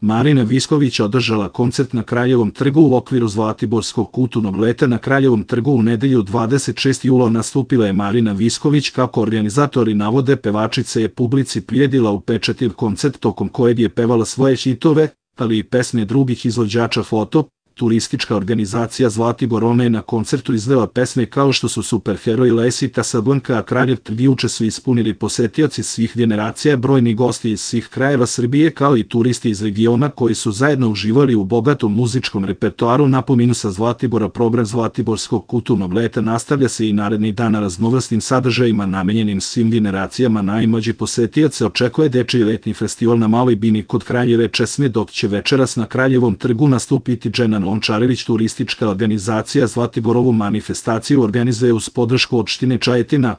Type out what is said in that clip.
Marina Visković održala koncert na Kraljevom trgu u okviru Zlatiborskog kulturnog leta na Kraljevom trgu u nedelju 26. jula nastupila je Marina Visković, kako organizatori navode, pevačica je publici priredila upečatljiv koncert tokom kojeg je pevala svoje hitove, ali i pesme drugih izvođača. Turistička organizacija Zlatibor Ona je na koncertu izvela pesme kao što su Superheroj, Lesi, Casablanca, a Kraljev trg juče su ispunili posetioci svih generacija, brojni gosti iz svih krajeva Srbije kao i turisti iz regiona koji su zajedno uživali u bogatom muzičkom repertoaru. Napominu sa Zlatibora, program Zlatiborskog kulturnog leta nastavlja se i narednih dana raznovrsnim sadržajima namenjenim svim generacijama. Najmlađi posetioce očekuje dečiji letnji festival na Maloj Bini kod Kraljeve česme, dok će večeras na Kraljevom trgu nastupiti Dženan Lončarević. Turistička organizacija Zlatibor ovu manifestaciju organizuje uz podršku opštine Čajetina.